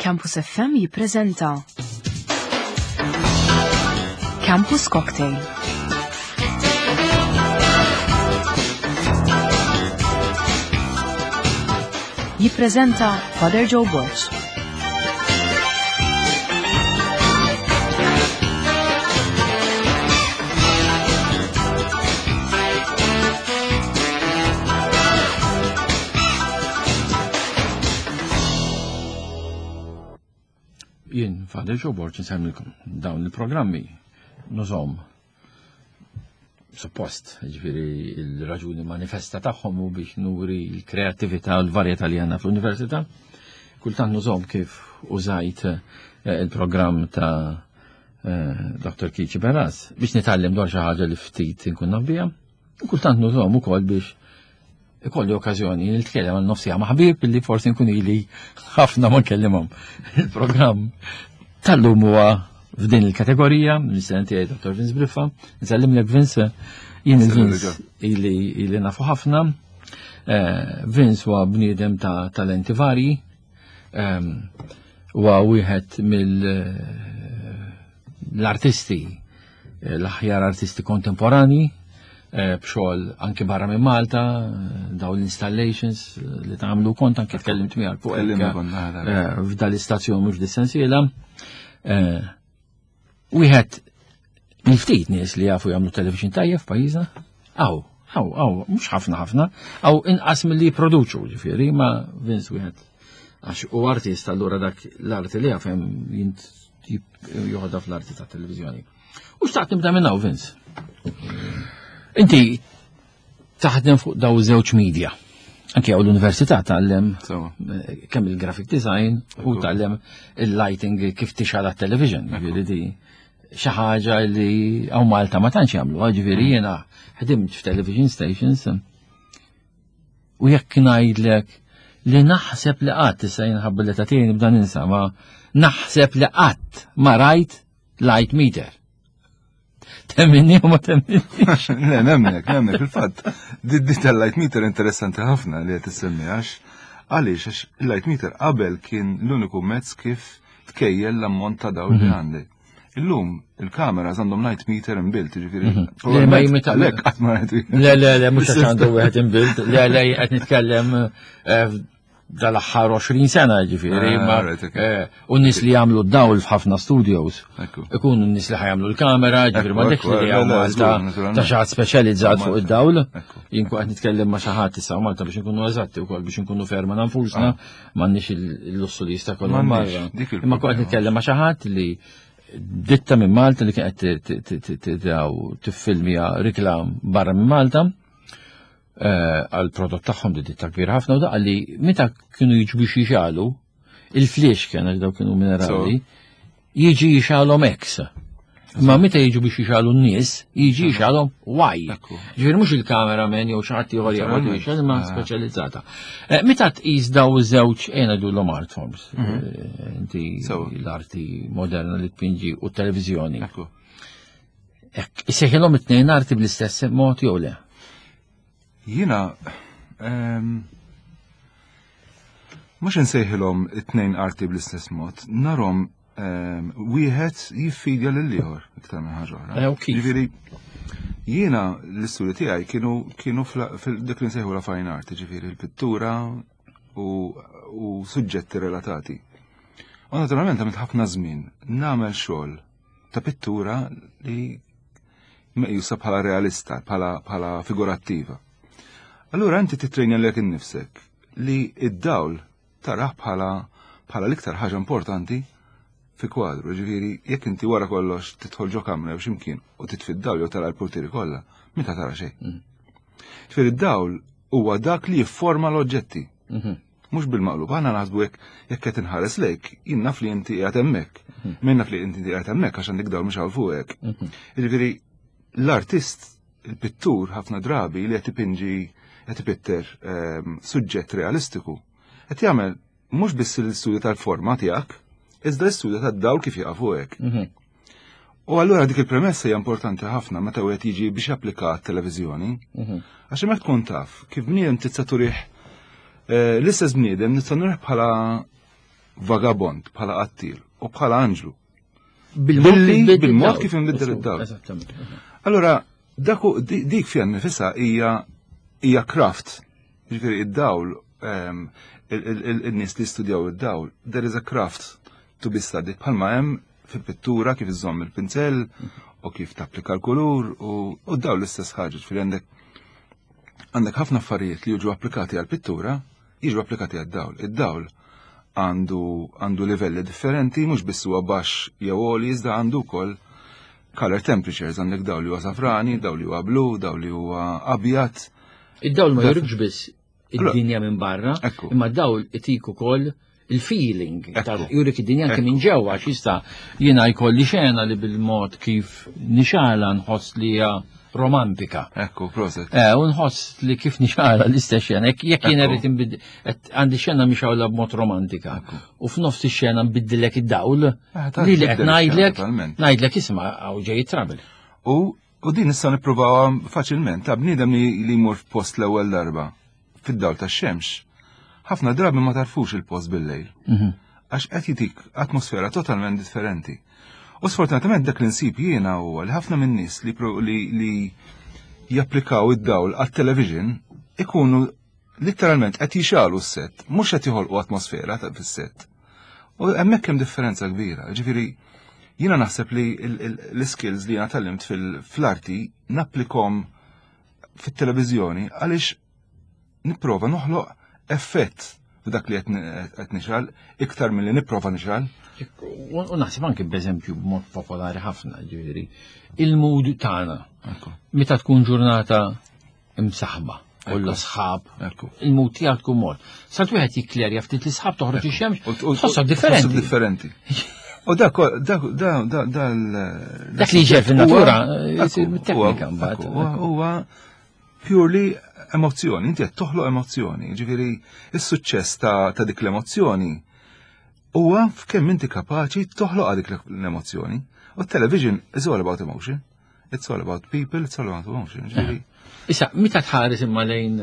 Campus FM jippreżenta Campus Cocktail. Jippreżenta Father Joe Borg. Jien Father Joe Borg nsemmilkom dawn il-programmi nużhom suppost, ġifiri il-raġuni manifesta tagħhom u biex nuri l-kreattività u l-varjetà li għandna fl-università. Kultant nużhom kif użajt eh, il-programm ta' eh, Dr. Kici Beras biex nitgħallem dwar xi ħaġa li ftit inkun naf biha. Kultant nużhom ukoll biex ikolli okkażjoni nitkellem għal nofsija ma' ħbieb li forsi nkun ili ħafna ma nkellimhom. Il-programm tal-lum huwa f'din il-kategorija, l-istudent tiegħi Dr. Vince Briffa, nsellimlek Vince, jien il-Vince ili ili nafu ħafna. Eh, Vince huwa bniedem ta' talenti varji, ehm, huwa wieħed mill eh, l-artisti Eh, l-aħjar artisti kontemporani eh, b'xogħol anki barra minn Malta, eh, daw l-installations li tagħmlu kont anki tkellimt miegħek fuq f'dal l-istazzjon mhux dis-sensiela. Wieħed mill-ftit nies li jafu jagħmlu television tajjeb f'pajjiżna, Aw, aw, aw, mhux ħafna ħafna, aw inqas milli jipproduċu, ġifieri, ma Vince wieħed għax u artist allura dak l-arti li jafem jint joħodha fl-arti ta' televizjoni. U xtaqt nibda minn hawn Vince. Inti taħdem fuq daw żewġ media. Anke hawn l-università tgħallem eh, kemm il-graphic design u tgħallem il-lighting kif tixgħal television ġifieri di xi ħaġa li hawn Malta ma tantx jagħmlu, ġifieri mm. jiena ħdimt f'television stations u jekk ngħidlek li naħseb li qatt issa jinħabba li tagħtini nibda ninsa ma naħseb li qatt ma rajt light meter. Temminni u ma temminni. Le, nemmek, nemmek, fil-fatt. Di tal-light meter interessanti ħafna li qed issemmi għax għaliex għax il-light meter qabel kien l-uniku mezz kif tkejjel l-ammont ta' dawl li mhm. għandek. Illum il-kameras għandhom light meter inbuilt, ġifieri. Mhm. Le ma jimita lek qatt ma Le le le mhux għax għandu wieħed inbuilt, le le qed nitkellem eh, dal-aħħar 20 sena ġifieri, ah, ma eh, u nies li jagħmlu d-dawl f'ħafna studios. Ikunu n-nies li ħajamlu l-kamera, ġifieri ma dik li jagħmlu Malta ta' xi ħadd speċjalizzat fuq id-dawl. Jien qed nitkellem ma' xi ħadd issa Malta biex inkunu eżatti wkoll biex inkunu ferma nfusna. Ah. M'għandniex il-lussu li jista' jkollhom barra. Imma kont nitkellem ma' xi ħadd li ditta minn Malta li kienet tiffilmja riklam barra minn Malta eh, għal prodott tagħhom di ditta kbira ħafna u daqqa li meta kienu jiġu biex jixalu il-fliex kien għax daw kienu minerali jiġi jixalhom X. Ma meta jiġu biex jixalu n-nies, jiġi jixalhom Y. Ġifieri mhux il-cameraman jew xi ħadd ieħor jaqgħod jixal imma ah. speċjalizzata. Eh, meta tqis daw iż-żewġ ejna dulhom art forms. Mhm. Eh, inti l-arti moderna li tpinġi u t-televiżjoni. Isejħilhom it-tnejn arti bl-istess mod jew le? Jiena ehm, mhux insejħilhom it-tnejn arti bl-istess mod, narhom ehm, wieħed jiffidja lil ieħor iktar minn ħaġa oħra. Eh, Ġifieri jiena l-istudju tiegħi kienu kienu fil-dik li nsejħu la fine art, ġifieri l-pittura u, u suġġetti relatati. U naturalment għamilt ħafna żmien nagħmel xogħol ta' pittura li meqjusa bħala realista, bħala, bħala figurattiva. Allura inti titrejna lek innifsek li id-dawl taraħ bħala bħala l-iktar ħaġa importanti fi kwadru, ġifieri jekk inti wara kollox tidħol ġo kamra jew x'imkien u titfi d-dawl jew tara l-portieri kollha, meta tara xejn. Mm. Ġifieri d-dawl huwa dak li jifforma l-oġġetti. Mhm. Mhux bil-maqlub, aħna naħsbu jekk jekk qed inħares lejk, jien naf li inti qiegħed hemmhekk. Mhm. Min naf li inti qiegħed hemmhekk għax għandek dawl mhux hawn fuqek. Mhm. Jiġifieri l-artist, il-pittur ħafna drabi li qed ipinġi qed ipitter ehm, suġġett realistiku, qed jagħmel mhux biss l-istudju tal-forma tiegħek, iżda l-istudju tad-dawl kif jaqa' fuqek. Mhm. U allura dik il-premessa hija importanti ħafna meta wieħed jiġi biex japplika t-televiżjoni. Mhm. Għax hemmhekk tkun taf kif bniedem tista' turih eh, l-istess bniedem nista' nurih bħala vagabond, bħala qattil u bħala anġlu. Bil-mod kif inbiddel id-dawl. Allora, dik fiha nifisha hija craft. Ġifieri id-dawl, in-nies li studjaw id-dawl, there is a craft to be studied bħalma hemm fil-pittura kif iżomm il-pinzell u kif tapplika l-kulur u dawl l-istess ħaġa, ġifieri għandek ħafna affarijiet li jiġu applikati għal-pittura, jiġu applikati għad-dawl. Id-dawl għandu livelli differenti, mhux biss huwa baxx jew għoli, iżda għandu wkoll color temperatures, għandek dawl li huwa safrani, dawl li huwa blu, dawl li huwa abjad. Id-dawl ma jurikx biss id-dinja minn barra, imma dawl itik ukoll il-feeling, jurik id-dinja anke minn ġewwa, għax jista' jiena jkolli xena li bil-mod kif nixala nħoss li hija romantika. Ekku, proset. U nħoss li kif nixala l-istess xena, jekk jiena rrid inbid-, għandi xena mixawla b'mod romantika. U f'nofs ix-xena nbiddilek id-dawl, li li qed ngħidlek, ngħidlek isma' hawn ġej trouble. U din issa nippruvawha faċilment, ta' bniedem li jmur f'post l-ewwel darba fid-dawl tax-xemx. Ħafna drabi ma tarfux il-post bil-lejl. Għax qed jitik atmosfera totalment differenti. U sfortunatament dak li nsib jiena huwa li ħafna minn nies li japplikaw id-dawl għat-television ikunu literalment qed jixalu s-set, mhux qed joħolqu atmosfera fis-set. U hemmhekk hemm differenza kbira. Ġifieri jiena naħseb li l-skills li jiena tgħallimt fl-arti napplikom fit-televiżjoni għaliex nipprova noħloq effett f'dak li qed nixgħal iktar milli nipprova nixgħal. U naħseb anke b'eżempju b'mod popolari ħafna, ġifieri, il-mood tagħna. Meta tkun ġurnata imsaħba, kollha sħab, il-mood tiegħek tkun mod. Salt wieħed jikklerja ftit li sħab toħroġ ix-xemx, tħossok differenti. Tħossok differenti. U dak, dak, da, da, da, dak li ġej fin-natura, jsir mit-teknika mbagħad. Huwa purely emozzjoni, inti qed toħloq emozzjoni, ġifieri is-suċċess ta' dik l-emozzjoni huwa f'kemm inti kapaċi toħloq dik l-emozzjoni. U t-television is all about emotion. It's all about people, it's all about emotion. Ġifieri. Issa, meta tħares imma lejn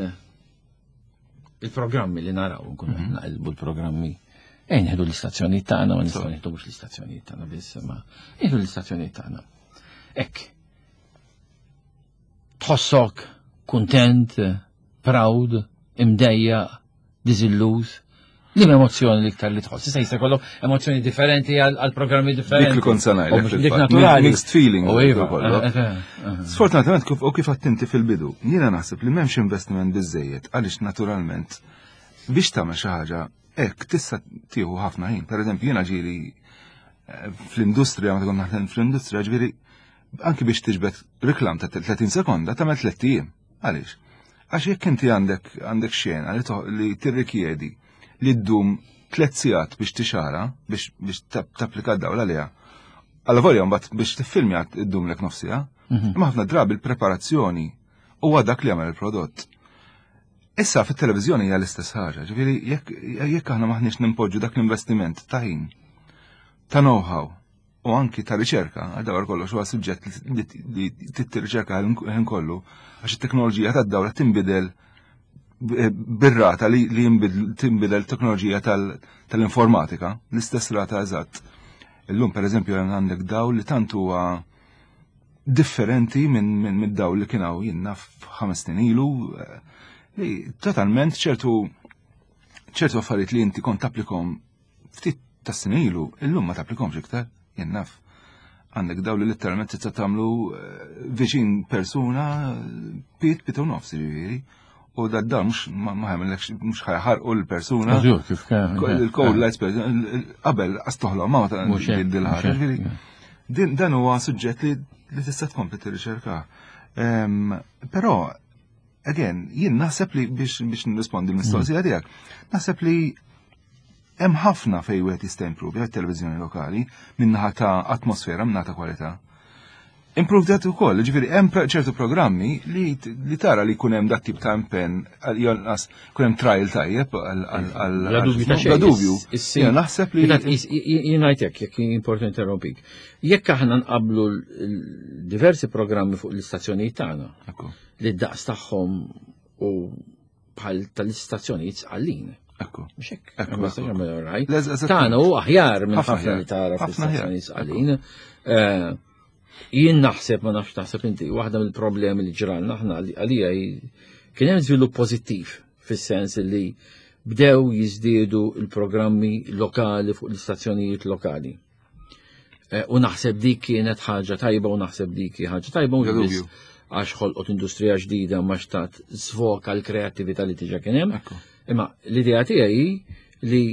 il-programmi li naraw, nkunu qed naqilbu l-programmi, ejn nieħdu l-istazzjonijiet tagħna, ma nistgħu nieħdu mhux l-istazzjonijiet tagħna biss, ma nieħdu l-istazzjonijiet tagħna. Hekk. Tħossok kuntent, proud, imdejjaq, diżilluż, li emozzjoni l-iktar li tħoss. Issa jista' jkollok emozzjoni differenti għal programmi differenti. Dik li kont se ngħidlek U mhux dik fil-fatt. naturali. Mixed feeling U iva, jkollok. Sfortunatament u kif attinti fil-bidu, jiena naħseb li m'hemmx investiment biżejjed għaliex naturalment biex tagħmel xi ħaġa hekk tista' tieħu ħafna ħin. Per eżempju, jiena ġieli fl-industrija, meta kont naħdem fl-industrija, ġieli anki biex tiġbed reklam ta' 30 sekonda tagħmel tliet ijiem. Għaliex? Għax jekk inti għandek xena li tirrikjedi li ddum 3 sigħat biex tixara, biex tapplika d-dawl għaliha. Alla volja mbagħad biex tiffilmja ddum lek nofs siegħa. Imma ħafna drabi l-preparazzjoni huwa dak li jagħmel il-prodott. Issa fit-televiżjoni hija l-istess ħaġa, ġifieri jekk aħna maħniex nimpoġġu dak l-investiment ta' ħin, ta' know-how u anki ta' riċerka, għal dawar kollox huwa suġġett li tirriċerka ħin kollu, għax it-teknoloġija tad-dawla tinbidel bir-rata li tinbidel teknoloġija tal-informatika, l-istess rata eżatt. Illum per eżempju għandek dawl li tant huwa differenti minn dawl li kien hawn jien naf 5 snin ilu, li totalment ċertu affarijiet li inti kont tapplikom ftit ta' snin ilu, illum ma tapplikomx iktar, jien naf. Għandek dawl li letteralment tista' tagħmlu viċin persuna pit pit u nofs, ġifieri. U da dan mhux ma ħamillekx, mhux ħajħarqu l-persuna. Żgur, kif kien, Il-cold lights, per eżempju, qabel qas toħloq ma ta' Mhux hekk, din il-ħaġa, mhux hekk, ġifieri, yeah. dan huwa suġġett li tista' tkompli tirriċerka. Però, again, jien naħseb li biex nirrispondi l-mistoqsija tiegħek, naħseb li hemm ħafna fejn wieħed jista' improve għat-televiżjoni lokali minnaħa ta' atmosfera, minnaħa ta' kwalità. Improved that ukoll, ġifieri hemm ċertu programmi li tara li jkun hemm dat tip ta' impenn, jonqas jkun hemm trial tajjeb għal Bla dubju ta' bla xejn. dubju. Jiena naħseb li Jien ngħid hekk, jekk important interrompik. Jekk aħna nqablu diversi programmi fuq l-istazzjonijiet tagħna, li d-daqs tagħhom u bħal tal-istazzjonijiet sqallin. Ekku. Mhux hekk. Ma jistax jagħmel raj. Tagħna hu aħjar minn ħafna li tara fl-istazzjoni sqalin. Eh, jien naħseb ma nafx taħseb inti, waħda mill-problemi li ġralna aħna għalija kien hemm żvilupp pożittiv fis-sens li bdew jiżdiedu l-programmi lokali fuq l-istazzjonijiet lokali. Eh, u naħseb dik kienet ħaġa tajba u naħseb dik ħaġa tajba u biss għax ħolqot industrija ġdida ma xtat svoka l-kreattività li tiġa kien hemm. Imma l-idea tiegħi li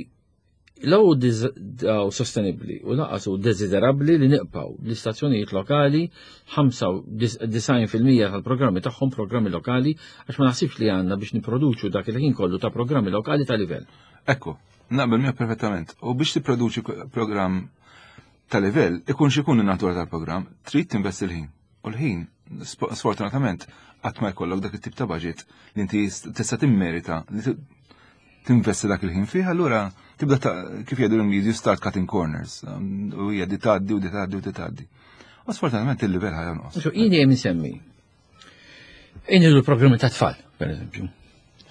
law daw sostenibbli u laqas u desiderabbli li niqpaw l-istazzjonijiet lokali 95% tal-programmi tagħhom programmi lokali għax ma naħsibx li għandna biex niproduċu dak il-ħin kollu ta' programmi lokali ta' livell. Ekku, Naqbel miegħek perfettament. U biex tipproduċi programm ta' livell, ikun xikun in-natura tal-programm, trid tinvesti l-ħin. U l-ħin, sfortunatament, qatt ma jkollok dak it-tip ta' budget li inti tista' timmerita li tinvesti dak il-ħin fih, allura tibda ta' kif jgħidu l-Ingliżi you start cutting corners. U hija di tgħaddi u di tgħaddi u di tgħaddi. U sfortunatament il-livell ħa jonqos. Jien dejjem insemmi. Inħidu l-programmi ta' tfal, per eżempju.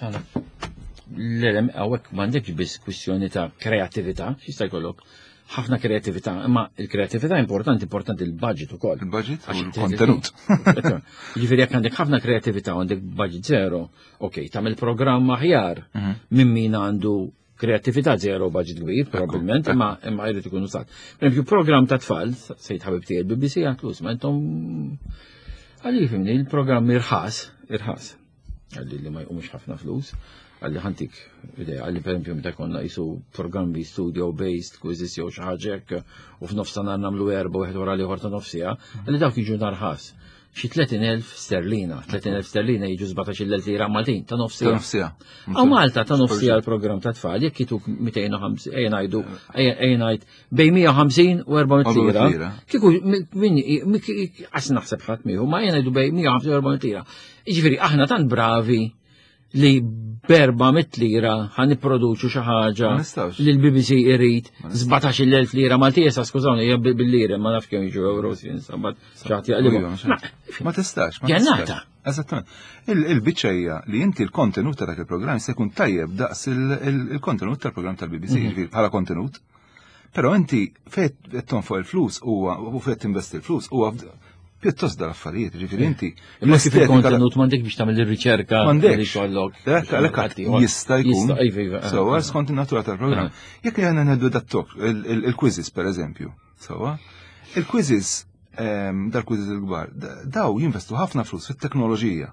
L-elem għawek m'għandekx biss kwistjoni ta' kreativita, xista jkollok ħafna kreativita, imma il-kreativita importanti, importanti il-budget ukoll. Il-budget u l-kontenut. Ġifieri jekk għandek ħafna kreativita u għandek budget zero, ok, tagħmel programm aħjar mhm. minn min għandu Kreattività zero budget kbir, probabbilment, imma imma jrid ikun użat. Per eżempju, programm ta' tfal, sejt ħabib tiegħi BBC għatlu, ma intom għalli fimni, il-programm irħas, irħas, għalli li ma jqumx ħafna flus, għalli ħantik idea, għalli per eżempju meta konna jisu programmi studio based, quizzes jew xi ħaġa hekk, u f'nofs ta' nhar nagħmlu erba' wieħed wara l-ieħor ta' nofsija, għalli dawk jiġu narħas xi 30,000 sterlina, 30,000 sterlina jiġu 17,000 lira Maltin ta' nofsija. Nofsija. Għaw Malta ta' nofsija l-programm ta' tfal, jekk jituk 250, ejja ngħidu, ejja ngħid bejn 150 u 400 lira. Kieku min għas naħseb ħadd miegħu, ma ejja ngħidu bejn 150 u 400 lira. Jiġifieri aħna tant bravi li berba mit lira ħan nipproduċu xi ħaġa li l-BBC irid 17,000 lira Maltija sa skużawni hija bil-lira ma nafx kemm jiġu euro sabat xaħat jaqlibu. Ma tistax. Ġennata. Eżattament. Il-biċċa hija li inti l-kontenut ta' dak il-programm se jkun tajjeb daqs il-kontenut tal-programm tal-BBC, mhm. ġifieri bħala kontenut. Però inti fejn qed tonfoq il-flus huwa u fejn tinvesti l-flus huwa pjuttost dal-affarijiet, ġifieri inti. Imma kif il-kontenut m'għandek biex tagħmel ir-riċerka m'għandek kollok. Għalhekk jista' jkun. Iva, iva, eh. Sewwa skont in-natura tal-programm. Eh. Jekk aħna ngħidu dat-tok, il-quizzes pereżempju, sewwa, il-quizzes ehm, dal-quizzes il-kbar, daw jinvestu ħafna flus fit-teknoloġija.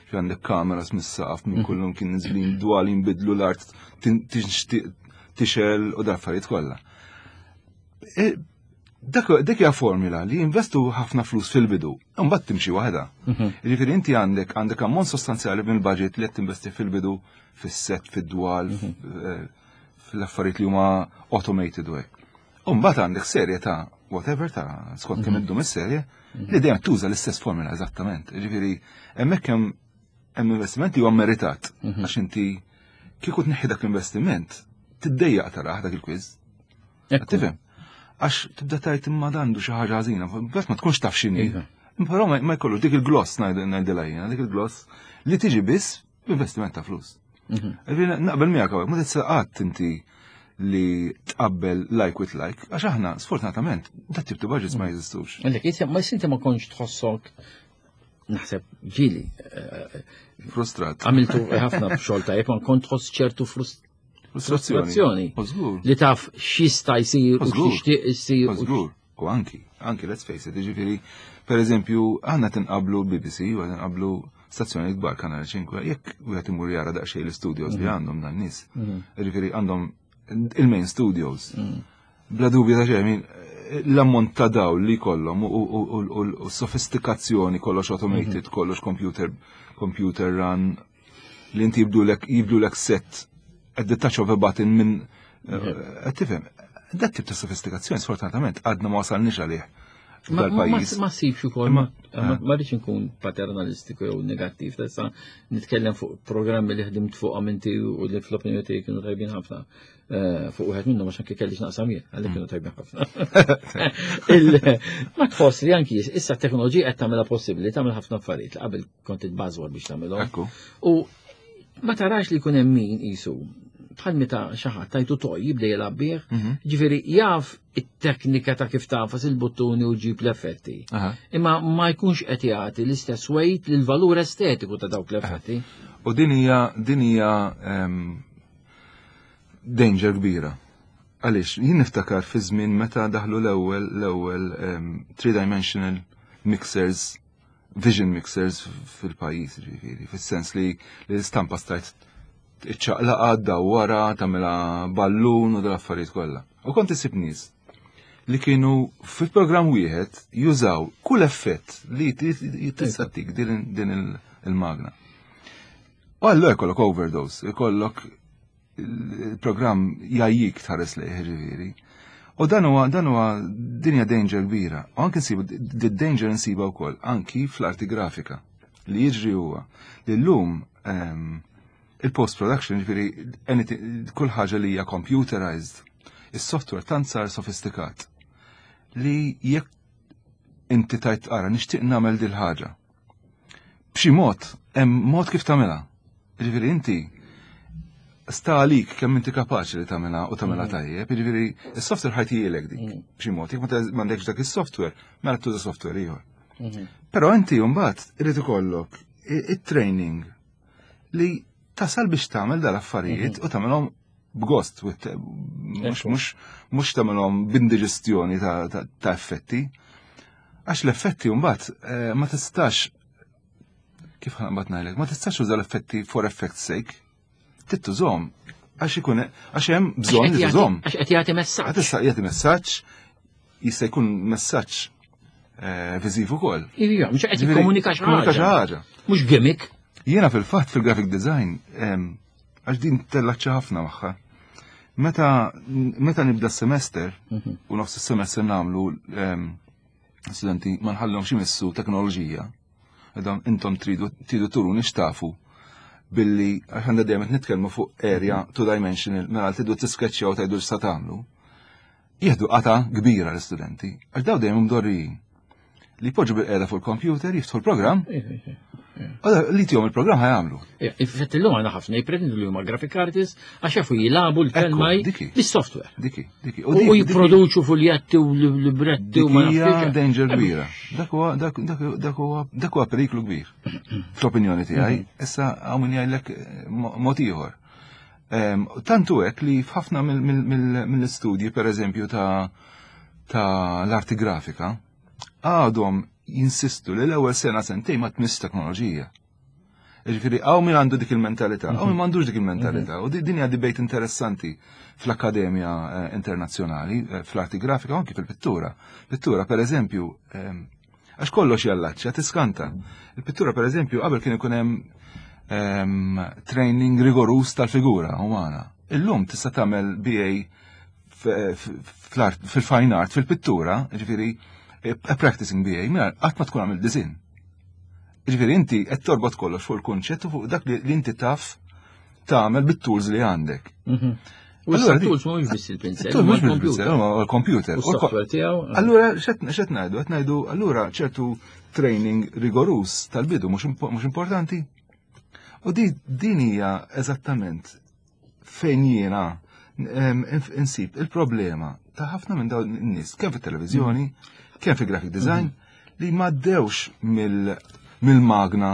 Fi għandek kameras mis-saqaf minn mhm. kullum kien niżlin dwal jinbidlu l-art tixel u dal-affarijiet kollha. E, dak hija formula li jinvestu ħafna flus fil-bidu, imbagħad timxi waħda. Mhm. Jiġifieri inti għandek għandek ammont sostanzjali mill-budget li qed tinvesti fil-bidu fis-set, fid-dwal, mhm. eh, fl-affarijiet li huma automated u hekk. U mbagħad għandek serje ta' whatever ta' skont kemm mhm. iddum is-serje li dejjem tuża l-istess formula eżattament. Jiġifieri hemmhekk hemm hemm investiment li huwa meritat mhm. għax inti kieku tneħħi dak l-investiment tiddejjaq taraħ dak il-quiz. Tifhem? Għax tibda tajt imma dandu xi ħaġa ħażina, bas ma tkunx taf x'inhi. Iva. Però ma jkollu dik il-gloss ngħidilha jiena, dik il-gloss li tiġi biss b'investiment ta' flus. Mhm. Naqbel miegħek hawnhekk, ma tista' qatt inti li tqabbel like with like, għax aħna sfortunatament dat tip ta' budgets ma jeżistux. Għalhekk, ma sinti ma kontx tħossok naħseb ġili. Eh, Frustrat. Għamiltu ħafna xogħol tajjeb, ma kont tħoss ċertu frustrazzjoni. Li taf x'jista' jsir u x'tixtieq isir. Żgur. U anki, anki let's face it, jiġifieri, per eżempju, aħna tinqablu BBC u tinqablu stazzjoni kbar Kanal 5, jekk wieħed imur jara daqsxejn l-studios li mhm. għandhom dan nies. Mhm. Jiġifieri għandhom il-main studios. Mhm. Bla dubju ta' xejn, l-ammont ta' dawl li kollhom u sofistikazzjoni kollox automated, mhm. kollox computer, computer run, li inti jibdulek jibdulek set at the touch of a button minn eh, mhm. qed tifhem. Dat tip ta' sofistikazzjoni sfortunatament għadna ma wasalniex għalih. Ma sibx ukoll, ma eh. rridx inkun paternalistiku jew negattiv, tista' nitkellem fuq programmi li ħdimt fuq inti u li fl-opinjoni tiegħi kienu tajbin ħafna. Eh, fuq wieħed minnhom għax anke kellix naqsam jien, għalhekk kienu tajbin ħafna. Ma tħoss li anki issa t-teknoloġija qed tagħmilha possibbli tagħmel ħafna affarijiet li qabel kont titbażwar biex tagħmilhom. U ma tarax li jkun hemm min qisu. bħal meta xi ħadd tajtu toj jibda jilgħab bih, ġifieri jaf it-teknika ta' kif tafas il-buttuni u ġib l-effetti. Imma ma jkunx qed jagħti l-istess weight lil valur estetiku ta' dawk l-effetti. U din hija din hija ehm, danger kbira. Għaliex, jien niftakar fi żmien meta daħlu l-ewwel l-ewwel ehm, three-dimensional mixers vision mixers fil-pajjiż, ġifieri, fis-sens li l-istampa stajt iċċaqlaqa dawwara, tagħmilha ballun u dal-affarijiet kollha. U kont isib nies li kienu fil-programm wieħed jużaw kull effett li tista' tik din il-magna. U allura jkollok overdose, jkollok il-programm jajjik tħares lejh ġifieri. U dan huwa dan huwa dinja danger kbira. U anke nsibu the danger nsiba wkoll anki fl-arti grafika. Li jiġri huwa li llum ehm, il-post production ġifieri kull ħaġa li hija computerized, is-software tant sar sofistikat li jekk inti tajt ara nixtieq nagħmel dil ħaġa. B'xi mod, hemm mod kif tagħmilha. Ġifieri inti sta għalik kemm inti kapaċi li tagħmilha u tagħmilha mm. tajjeb, jiġifieri is-software ħajtijielek dik mm. b'xi mod, jekk m'għandekx dak is-software, mela tuża software ieħor. Mm-hmm. Però inti mbagħad irid ikollok it-training li tasal biex tagħmel dal-affarijiet mm-hmm. u tagħmelhom b'gost, mhux tagħmelhom b'indiġestjoni ta' effetti. Għax l-effetti mbagħad eh, ma tistax kif ħanqbad ngħidlek, ma tistax uża l-effetti for effect's sake. Trid tużhom għax ikun għax hemm bżonn li tużhom. Għax qed jagħti messaġġ. Tista' jagħti messaġġ, jista' jkun messaġġ eh, viżiv ukoll. Ija, mhux qed jikkomunika xi ħaġa. Mhux gimmick. Jiena fil-fatt fil-graphic design għax din tellaċċa ħafna magħha. Meta meta nibda s-semester mhm. u nofs is-semester nagħmlu studenti ma nħallhomx imissu teknoloġija. Għadhom intom tridu tridu turuni x'tafu billi għax għandha dejjem qed nitkellmu fuq area two dimensional mela tridu tiskeċċjaw tgħidu x'sa tagħmlu. Jieħdu qata kbira l-istudenti għax daw dejjem mdorrijin li jpoġġu bil-qiegħda fuq il-computer, jiftħu l-programm, li tihom il-programm ħajamlu. Infatti l-lum għandna ħafna jipretendu li huma graphic artists għax jafu jilagħbu l-kelma bis-software. Diki, diki. U jipproduċu fuljetti u libretti u ma nafx. danger kbira. Dak huwa dak huwa dak huwa periklu kbir. Fl-opinjoni tiegħi, mhm. issa hawn min jgħidlek eh, mod ieħor. Ehm, tantu hekk li f'ħafna mill-istudji pereżempju ta' ta' l-arti grafika, għadhom jinsistu li l-ewwel sena sentejn ma tmiss teknoloġija. Ġifieri hawn min għandu dik il-mentalità, hawn min m'għandux dik il-mentalità. U din hija debate interessanti fl-akkademja eh, internazzjonali, eh, fl-arti grafika u anki fil-pittura. Pittura, per eżempju, ehm, għax kollox jallaċċja, tiskanta. Il-pittura, per eżempju, qabel kien ikun hemm ehm, training rigorus tal-figura umana. Illum tista' tagħmel BA fil-fine art, fil-pittura, ġifieri, eh, practicing BA, mela qatt ma tkun għamil design. Ġifieri inti qed torbot kollox fuq il-kunċett u fuq dak li inti taf tagħmel bit-tools li għandek. Mhm. U allura tools mhumiex biss il-pinsel, huma l-computer. L-computer. U software tiegħu. Eh. Allura x'qed ngħidu? Qed ngħidu allura ċertu training rigorus tal-bidu mhux importanti. U din hija eżattament fejn jiena insib il-problema ta' ħafna minn dawn in-nies, kemm fit-televiżjoni, mm. kemm fi graphic design, mm. li ma ddewx mill-magna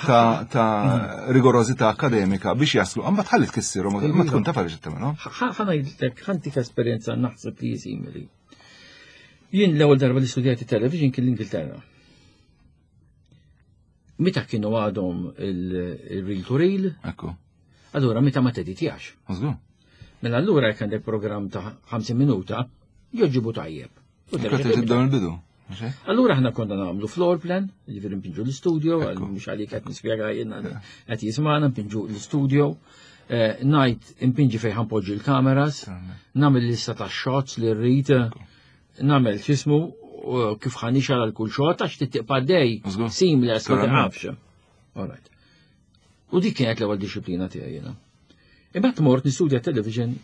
ta', ta mm. rigorozità akademika biex jaslu, għamba tħalli tkissirhom, ma tkun taf għaliex tagħmelhom. Ħa ngħidlek, ħantik esperjenza naħseb li simili. Jien l-ewwel darba li studjajt it-television kien l-Ingilterra. Meta kienu għadhom il-reel to reel. Ekku. Allura meta ma teditjax. Mela allura jekk għandek programm ta' 50 minuta, joġibu tajjeb. U tibda mill-bidu. Allura ħna konna nagħmlu floor plan, jiġifieri npinġu l-istudio, mhux għalik qed nispjega jiena qed jismana npinġu l-istudio, eh, ngħid impinġi fejn ħanpoġġi l-kameras, nagħmel lista ta' shots li rrid, nagħmel x'ismu kif ħanixal għal kull xogħol għax tittiqpa dej seamless ma taqafx. All right. U dik kienet l-ewwel disciplina tiegħi jiena. Imbagħad mort nistudja television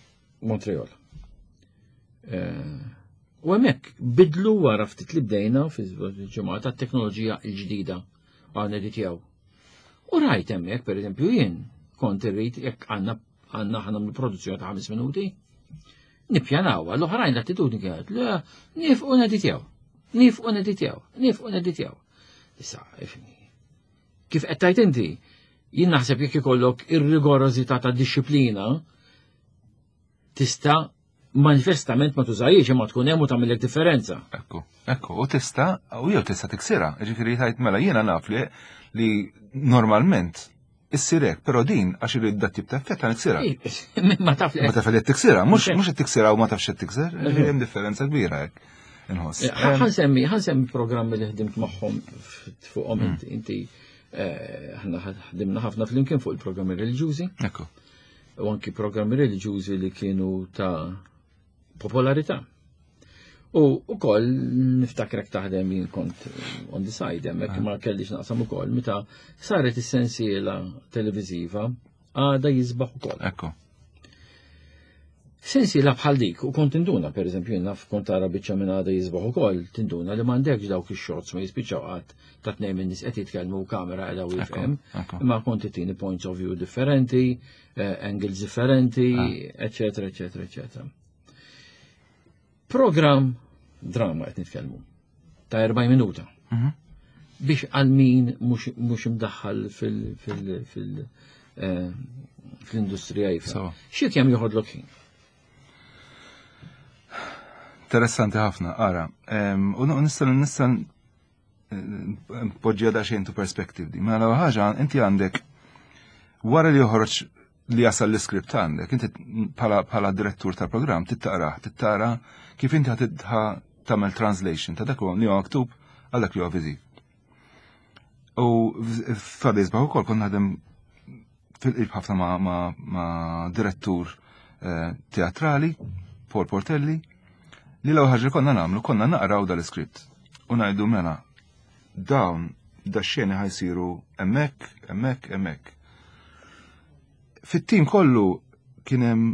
Montreal. Eh, u hemmhekk bidlu wara ftit li bdejna fil-ġimgħa tat-teknoloġija l-ġdida għal editjaw. U rajt hemmhekk pereżempju jien kont irrid jekk għandna għandna aħna mill-produzzjoni ta' ħames minuti. Nippjanaw, l-oħrajn l-attitudni kienet, le, nifqu neditjaw, nifqu neditjaw, nifqu neditjaw. Issa, ifni. Kif qed tajt inti, jien naħseb jekk ikollok ir-rigorożità ta' disċiplina, tista' manifestament ma tużajiex imma tkun hemm u tagħmilek differenza. Ekku, ekku, u tista' u jew tista' tiksirha, ġifieri tajt mela jiena naf li li normalment issir hekk, però din għax irid dat tip ta' effett għan iksirha. Ma taf li Ma taf li tiksirha, mhux mhux qed tiksirha u ma tafx qed tikser, hemm differenza kbira hekk. Inħoss. Eh, ħansemmi, ħansemmi programmi li ħdimt magħhom fuqhom hmm. inti, inti eh, ħna ħdimna ħafna flimkien fuq il-programmi reliġjużi. Ekku. U anki programmi reliġjużi li kienu ta' popolarità. U ukoll niftakrek taħdem jien kont on the side hemmhekk ah. ma kellix naqsam ukoll meta saret is-sensiela televiżiva għada jisbaħ ukoll. Ekku. Sensiela bħal dik u kont tinduna, per eżempju, naf kont tara biċċa minn għada jisbaħ ukoll, tinduna li m'għandekx dawk ix-shots ma jispiċċaw qatt ta' tnejn minn nies qed jitkellmu u kamera qiegħda u jifhem. Imma kont tini points of view differenti, eh, angles differenti, eccetera, eccetera, eccetera. Program drama qed nitkellmu ta' 40 minuta. Mhm. Biex għal min mhux imdaħħal eh, fil-industrija jifhem. Xi kemm joħodlok ħin? Interessanti ħafna, ara. U nista' nista' npoġġiha daqsxejn to perspective di. Mela ħaġa inti għandek wara li joħroġ li jasal l-iskript għandek, inti bħala direttur tal-programm tittaqrah, tittara kif inti tagħmel translation ta' dak li huwa maktub għal dak li huwa viżiv. U f'Fabri Isbaħ ukoll kont naħdem fil-qrib ħafna ma', ma, ma direttur eh, teatrali, Paul Portelli, li l-ewwel ħaġa li konna nagħmlu konna naqraw dal-iskript u ngħidu mela dawn da xeni ħajsiru hemmhekk, hemmhekk, hemmhekk. Fit-tim kollu kien hemm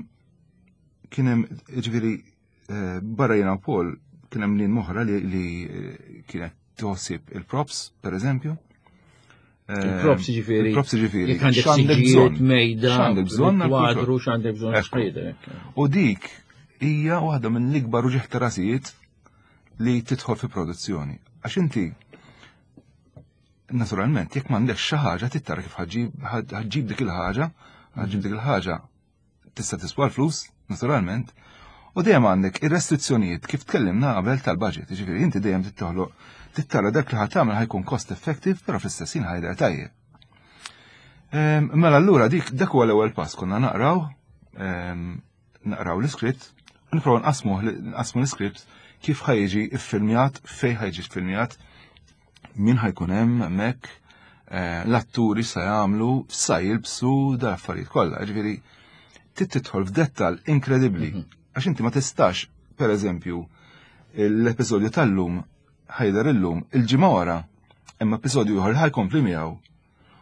kien hemm ġifieri eh, barra jiena u Paul kien hemm lin moħra li, li eh, kienet tħossib il-props, per eżempju. Eh, il-props ġifieri. Il-props ġifieri. X'għandek bżonn mejda, x'għandek bżonn kwadru, x'għandek bżonn U dik hija waħda minn l-ikbar uġieħ ta' rasijiet li tidħol fi produzzjoni. Għax inti naturalment jekk m'għandekx xi ħaġa tittara kif ħaġġib dik il-ħaġa, ħaġġib dik il-ħaġa tista' tiswa l-flus, naturalment, u dejjem għandek ir-restrizzjonijiet kif tkellimna qabel tal-budget, jiġifieri inti dejjem tittoħloq tittara dak li ħadd tagħmel ħajkun cost effective, però fl-istess ħin ħajder tajjeb. Ehm, mela allura dik dak huwa l-ewwel pass konna naqraw ehm, naqraw l-iskript, nipprovaw nqasmu nqasmu l-iskript kif ħajġi iffilmjat, fejn ħajġi iffilmjat, min ħajkun hemm hemmhekk, eh, l-atturi sa jagħmlu, sa jilbsu da affarijiet kollha. Ġifieri trid tidħol f'dettal inkredibbli. Mhm. Għax inti ma tistax, per eżempju, l-episodju tal-lum ħajder illum il-ġimgħa wara, imma episodju ieħor ħajkompli miegħu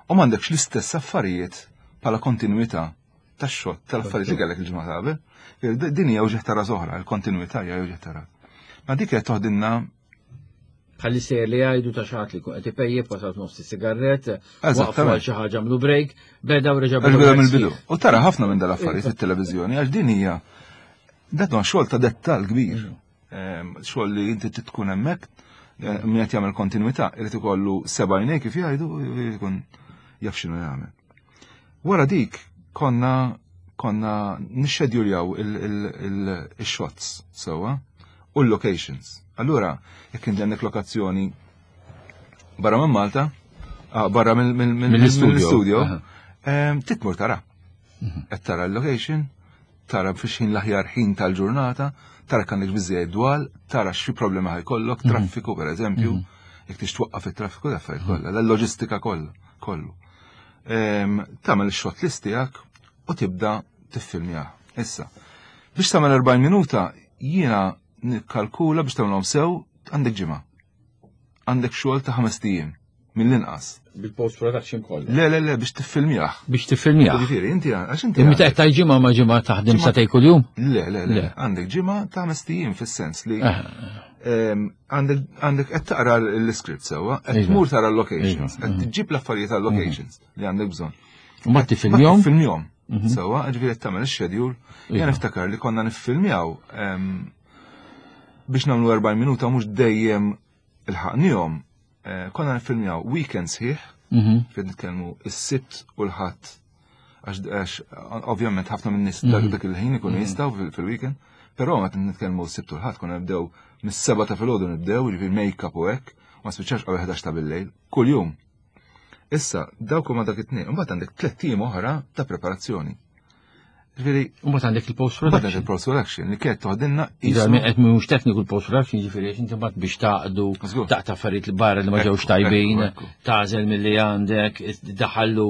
u m'għandekx l-istess affarijiet bħala kontinwità tax-xogħol tal-affarijiet li kellek il-ġimgħa qabel. Din hija uġigħ ta' ras oħra, il-kontinwità hija uġigħ ta' ras. Ma dik qed toħdilna Bħalli sejjer li jgħidu ta' xaħat li kun qed ipejjep wasalt nofs sigarret, waqfu għal xi ħaġa għamlu break, beda u reġa' beda mill-bidu. U tara ħafna minn dal-affarijiet fit-televiżjoni għax din hija dat huwa xogħol ta' dettal kbir. Mm. Ehm, xogħol li inti tkun hemmhekk, eh, min qed jagħmel kontinwità, irid ikollu seba' għajnejn kif jgħidu, irid ikun jaf x'inhu jagħmel. Wara dik konna konna nixxedjuljaw il-shots sewwa u l-locations. Allura, jekk inti għandek lokazzjoni barra minn Malta, ah, barra mill-studio, ehm, titmur tara. Mhm. Qed tara l-location, tara fiex ħin l-aħjar ħin tal-ġurnata, tara kan biżejjed dwal, tara xi problema ħajkollok, mhm. traffiku per eżempju, mhm. jekk tix twaqqaf it-traffiku l-affarijiet kollha, l-loġistika kollha, kollu. Ehm, tagħmel ix-shot list tiegħek u tibda tiffilmjah. Issa, biex tagħmel 40 minuta jiena nikkalkula biex tagħmilhom sew għandek ġimgħa. Għandek xogħol ta' ħames ijiem mill-inqas. Bil-post production kollu. Le, le, le, biex tiffilmjah. Biex tiffilmjah. Ġifieri, inti għax inti. Imma ta' ġimgħa ma' ġimgħa taħdem sa kuljum? Le, le, le. Għandek ġimgħa ta' ħames ijiem fis-sens li għandek qed taqra l-iskript sewwa, qed iva. tmur tara l-locations, qed iva. tġib l-affarijiet tal-locations li għandek bżonn. U ma tifilmjom? Filmjom. Sewa, ġifieri qed tagħmel ix-schedule. Jien niftakar li konna niffilmjaw biex nagħmlu 40 minuta mhux dejjem il-ħaqnihom. Eh, konna niffilmjaw weekend sħiħ, fejn nitkellmu is-Sibt u l-Ħadd. Għax ovvjament ħafna minn nies dak il-ħin ikunu jistgħu fil-weekend, però meta nitkellmu s-Sibt u l-Ħadd konna nibdew mis-seba ta' filgħodu nibdew, ġifieri make-up u hekk, ma spiċċax qabel 11 ta' bil-lejl, kuljum. Issa, dawk huma dak it-tnejn, imbagħad għandek tlett ijiem oħra ta' preparazzjoni. Ġifieri, Mbagħad għandek il-post imbagħad production. il-post production li kienet toħdilna Ġifieri qed mhux tekniku l-post production, ġifieri għax inti mbagħad biex taqdu Żgur. taqta' affarijiet li barra li ma ġewx Ekku, tajbin, ekku, ekku. tażel milli għandek, daħallu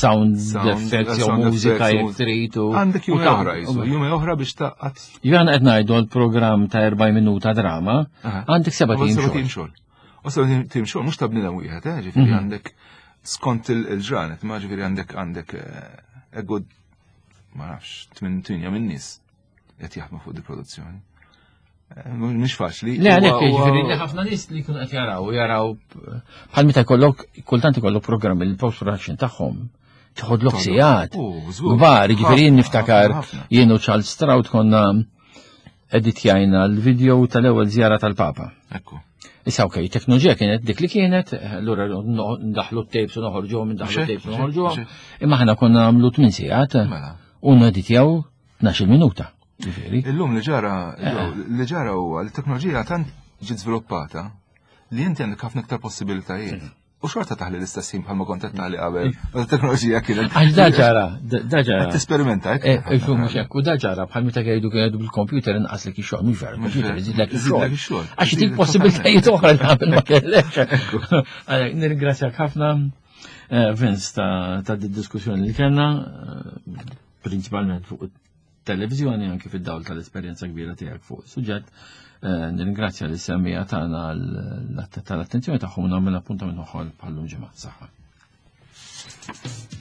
sound Sound, effects jew sound mużika effects, jekk muż- trid u. Għandek u jumej ta' oħra, jisu, jumej oħra biex taqqat. Jien qed ngħidu l-programm ta' 40 minuta drama, għandek seba' tim Seba' xogħol. tim xogħol. U seba' tim xogħol mhux ta' bniedem wieħed, eh, ġifieri għandek skont il-ġranet, ma ġifieri għandek għandek eh, a good ma nafx, tmien tinja minn nies qed jaħdmu fuq di produzzjoni. Eh, Mhux faċli. Le, għalhekk Huwa- jiġifieri li ħafna nies li jkunu qed jaraw, jaraw bħal meta jkollok kultant ikollok programm il-post production tagħhom tħodlok sigħat. Oh, żgur. Kbar, jiġifieri jien Ħafna, niftakar ħafna, ħafna. jien u Charles Stroud konna editjajna l-video tal-ewwel żjara tal-Papa. Ekku. Issa okej, teknoloġija kienet dik li kienet, allura ndaħlu t-tapes u noħorġuhom, ndaħlu Mhux hekk, t-tapes u mhux hekk, noħorġuhom. mhux Imma ħana konna għamlu 8 sigħat Mela. u neditjaw 12 minuta. Ġifieri. Illum li ġara, li ġara huwa li t-teknoloġija tant ġiet żviluppata li inti għandek ħafna iktar possibilitajiet. U xorta taħli l-istess ħin bħalma kont qed taħli qabel. Meta t-teknoloġija kienet. Għax da ġara, da ġara. Qed tesperimenta hekk. Eh, mhux hekk, u da ġara bħal meta jgħidu kienu bil-computer inqaslek ix-xogħol, mhux vera, il-computer iżidlek Iżidlek ix-xogħol. ix-xogħol. Għax dik possibilitajiet oħra li qabel ma kellek. Għalhekk, Nirringrazzjak ħafna eh, Vince ta' ta' di diskussjoni li kellna, eh, prinċipalment fuq televizjoni anke fid-dawl tal-esperjenza kbira tiegħek fuq is-suġġett. Eh, Nirringrazzja li semmija tagħna tal-attenzjoni tagħhom u nagħmel appuntament oħra bħallum ġimgħa. Saħħa.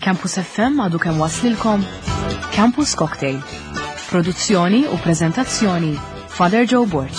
Campus FM għadu kemm waslilkom Campus Cocktail. Produzzjoni u prezentazzjoni Father Joe Borg.